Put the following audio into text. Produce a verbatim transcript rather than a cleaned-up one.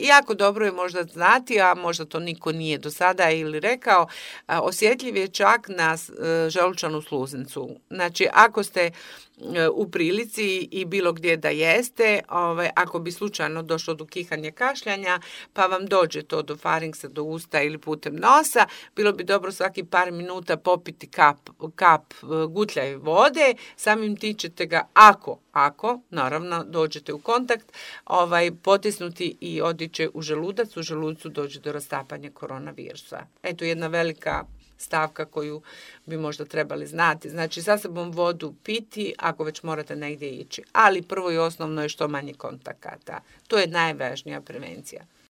Jako dobro je možda znati, a možda to niko nije do sada ili rekao, osjetljiv je čak na želučanu sluznicu. Znači, ako ste u prilici i bilo gdje da jeste, ovaj, ako bi slučajno došlo do kihanja, kašljanja, pa vam dođe to do farinksa, do usta ili putem nosa, bilo bi dobro svaki par minuta popiti kap, kap gutljaj vode, samim tim ćete ga, ako, ako, naravno, dođete u kontakt, ovaj, potisnuti i odiće u želudac, u želucu dođe do rastapanja koronavirusa. Eto jedna velika stavka koju bi možda trebali znati. Znači, sa sobom vodu piti ako već morate negdje ići. Ali prvo i osnovno je što manje kontakata. To je najvažnija prevencija.